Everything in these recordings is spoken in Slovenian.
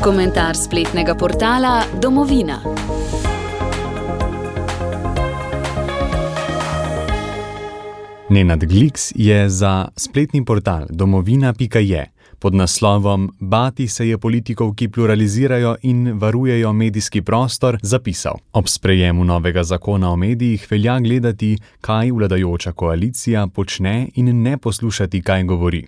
Komentar spletnega portala Domovina. Nenad Gliks je za spletni portal domovina.je pod naslovom Bati se je politikov, ki pluralizirajo in varujejo medijski prostor, zapisal: ob sprejemu novega zakona o medijih velja gledati, kaj vladajoča koalicija počne in ne poslušati, kaj govori.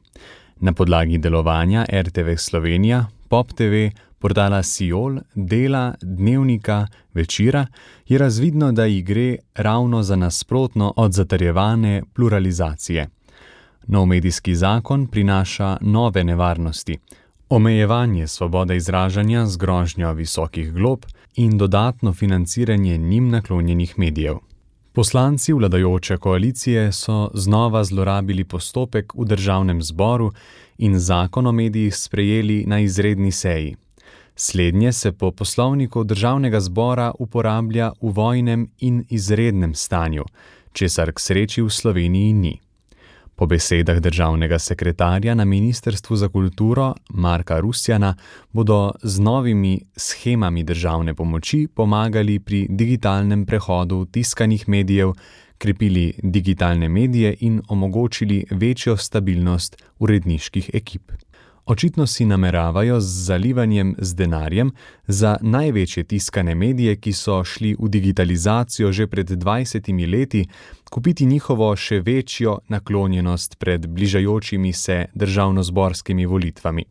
Na podlagi delovanja RTV Slovenija, Pop TV, portala Siol, Dela, Dnevnika, Večera je razvidno, da ji gre ravno za nasprotno od zatrjevane pluralizacije. Nov medijski zakon prinaša nove nevarnosti, omejevanje svobode izražanja z grožnjo visokih glob in dodatno financiranje njim naklonjenih medijev. Poslanci vladajoče koalicije so znova zlorabili postopek v državnem zboru in zakon o medijih sprejeli na izredni seji. Slednje se po poslovniku državnega zbora uporablja v vojnem in izrednem stanju, česar k sreči v Sloveniji ni. Po besedah državnega sekretarja na Ministrstvu za kulturo Marka Rusjana bodo z novimi shemami državne pomoči pomagali pri digitalnem prehodu tiskanih medijev, krepili digitalne medije in omogočili večjo stabilnost uredniških ekip. Očitno si nameravajo z zalivanjem z denarjem za največje tiskane medije, ki so šli v digitalizacijo že pred 20 leti, kupiti njihovo še večjo naklonjenost pred bližajočimi se državnozborskimi volitvami.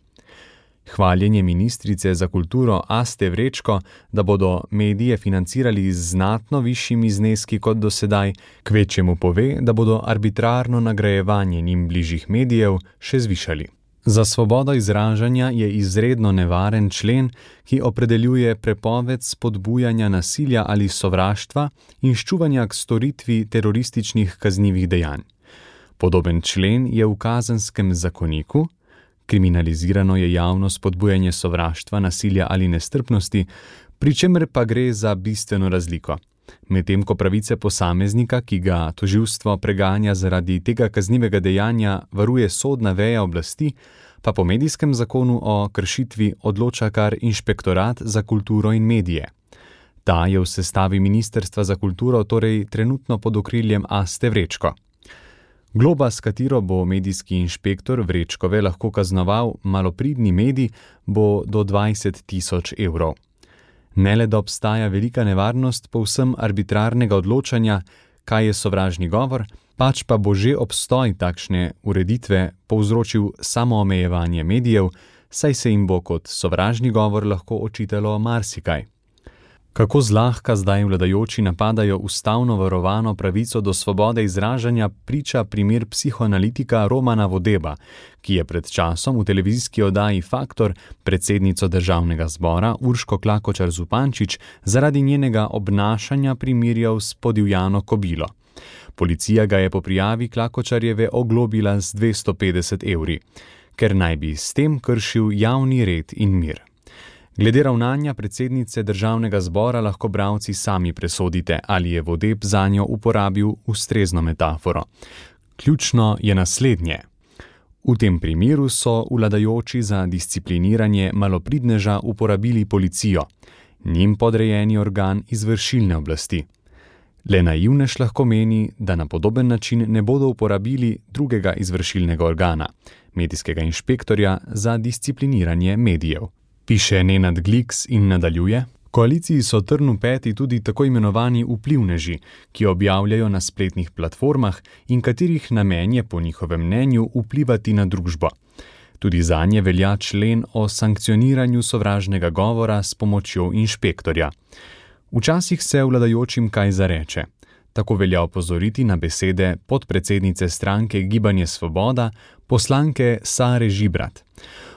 Hvaljenje ministrice za kulturo Aste Vrečko, da bodo medije financirali z znatno višjimi zneski kot do sedaj, kvečjemu pove, da bodo arbitrarno nagrajevanje njim bližjih medijev še zvišali. Za svobodo izražanja je izredno nevaren člen, ki opredeljuje prepoved spodbujanja nasilja ali sovraštva in ščuvanja k storitvi terorističnih kaznivih dejanj. Podoben člen je v Kazenskem zakoniku, kriminalizirano je javno spodbujanje sovraštva, nasilja ali nestrpnosti, pri čemer pa gre za bistveno razliko. Medtem ko pravice posameznika, ki ga tožilstvo preganja zaradi tega kaznivega dejanja, varuje sodna veja oblasti, pa po medijskem zakonu o kršitvi odloča kar Inšpektorat za kulturo in medije. Ta je v sestavi Ministrstva za kulturo torej trenutno pod okriljem Aste Vrečko. Globa, s katero bo medijski inšpektor Vrečkove lahko kaznoval malopridni medij, bo do 20.000 evrov. Ne le, da obstaja velika nevarnost povsem arbitrarnega odločanja, kaj je sovražni govor, pač pa bo že obstoj takšne ureditve povzročil samoomejevanje medijev, saj se jim bo kot sovražni govor lahko očitalo marsikaj. Kako zlahka zdaj vladajoči napadajo ustavno varovano pravico do svobode izražanja, priča primer psihoanalitika Romana Vodeba, ki je pred časom v televizijski oddaji Faktor predsednico državnega zbora Urško Klakočar Zupančič zaradi njenega obnašanja primerjal s podivjano kobilo. Policija ga je po prijavi Klakočarjeve oglobila z 250 evri, ker naj bi s tem kršil javni red in mir. Glede ravnanja predsednice državnega zbora lahko bralci sami presodite, ali je Vodeb zanjo uporabil ustrezno metaforo. Ključno je naslednje. V tem primeru so vladajoči za discipliniranje malopridneža uporabili policijo, njim podrejeni organ izvršilne oblasti. Le naivnež lahko meni, da na podoben način ne bodo uporabili drugega izvršilnega organa, medijskega inšpektorja za discipliniranje medijev. Piše Nenad Gliks in nadaljuje: koaliciji so trn v peti tudi tako imenovani vplivneži, ki objavljajo na spletnih platformah in katerih namen je po njihovem mnenju vplivati na družbo. Tudi zanje velja člen o sankcioniranju sovražnega govora s pomočjo inšpektorja. Včasih se vladajočim kaj zareče. Tako velja opozoriti na besede podpredsednice stranke Gibanje Svoboda, poslanke Sare Žibrat.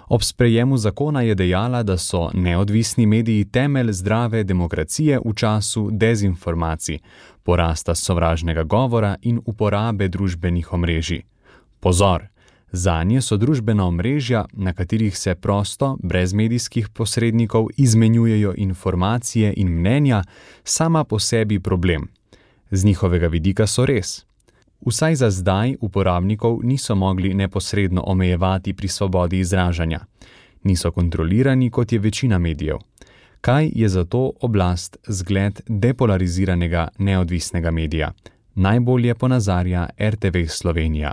Ob sprejemu zakona je dejala, da so neodvisni mediji temelj zdrave demokracije v času dezinformacij, porasta sovražnega govora in uporabe družbenih omrežij. Pozor! Zanje so družbena omrežja, na katerih se prosto, brez medijskih posrednikov, izmenjujejo informacije in mnenja, sama po sebi problem. Z njihovega vidika so res. Vsaj za zdaj uporabnikov niso mogli neposredno omejevati pri svobodi izražanja. Niso kontrolirani, kot je večina medijev. Kaj je zato oblast zgled depolariziranega neodvisnega medija? Najbolje ponazarja RTV Slovenija.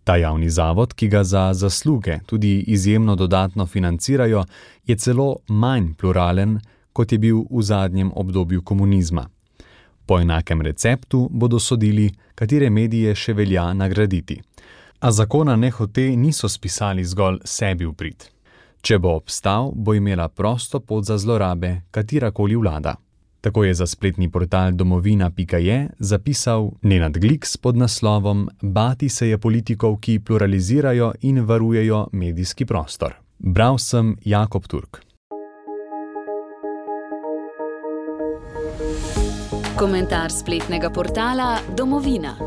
Ta javni zavod, ki ga za zasluge tudi izjemno dodatno financirajo, je celo manj pluralen, kot je bil v zadnjem obdobju komunizma. Po enakem receptu bodo sodili, katere medije še velja nagraditi. A zakona nehote niso spisali zgolj sebi v prid. Če bo obstal, bo imela prosto pot za zlorabe katerakoli vlada. Tako je za spletni portal domovina.je zapisal Nenad Gliks pod naslovom Bati se je politikov, ki pluralizirajo in varujejo medijski prostor. Bral sem Jakob Turk. Komentar spletnega portala Domovina.